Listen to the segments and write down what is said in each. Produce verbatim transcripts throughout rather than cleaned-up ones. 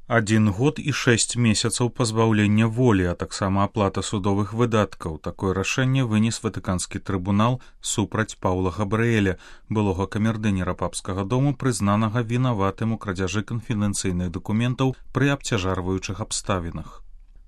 Адзін год і шэсць месяцаў пазбаўлення волі, а таксама аплата судовых выдаткаў. Такое рашэнне вынес Ватыканскі трыбунал супраць Паўла Габрыэля, былога камердынера папскага дому, прызнанага вінаватым у крадзяжы канфідэнцыйных дакументаў пры абцяжарваючых абставінах.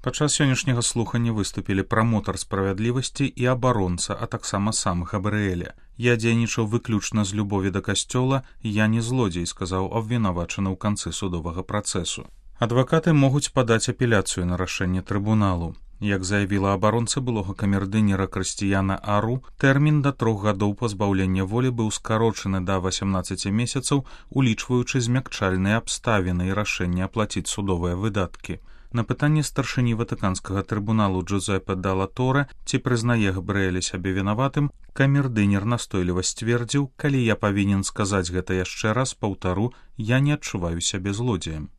Падчас сённяшняга слухання выступілі прамотар справядлівасці і абаронца, а таксама сам Габрыэля. «Я дзейнічаў выключна з любові да касцёла, я не злодзей», сказаў абвінавачаны ў канцы судовага працэсу. Адвакаты могуць падаць апеляцыю на рашэнне трыбуналу. Як заявіла абаронца былога камердынера Крысціяна Ару, тэрмін да трох гадоў пазбаўлення волі быў скарочаны да васямнаццаці месяцаў, улічваючы змякчальныя абставіны і рашэнне аплаціць судовыя выдаткі. На пытанне старшыні Ватыканскага трыбуналу Джузеппе Далла Торе, ці прызнае Габрыэля сябе вінаватым, камердынер настойліва сцвердзіў: «Калі я павінен сказаць гэта яшчэ раз, паўтару, я не адчуваю сябе злодзеем».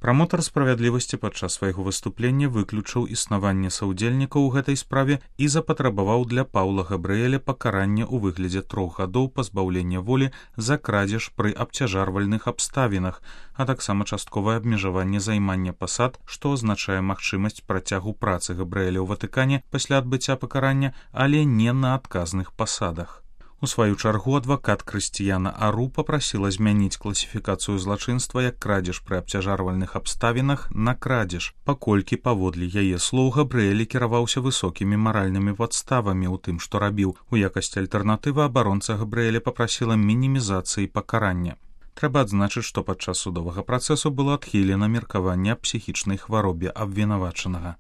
Прамотар справядлівасці падчас свайго выступлення выключыў існаванне саўдзельнікаў у гэтай справе і запатрабаваў для Паўла Габрыэля пакарання ў выглядзе трох гадоў пазбаўлення волі за крадзеж пры абцяжарвальных абставінах, а таксама частковае абмежаванне займання пасад, што азначае магчымасць працягу працы Габрыэля ў Ватыкане пасля адбыцця пакарання, але не на адказных пасадах. У сваю чаргу адвакат Крысціяна Ару папрасіла змяніць класіфікацыю злачынства як крадзеж пры абцяжарвальных абставінах на крадзеж, паколькі, паводле яе слоў, Габрыэль кіраваўся высокімі маральнымі падставамі ў тым, што рабіў. У якасці альтэрнатывы абаронца Габрыэля папрасіла мінімізацыі пакарання. Трэба адзначыць, што падчас судовага працэсу было адхілена меркаванне аб псіхічнай хваробе абвінавачанага.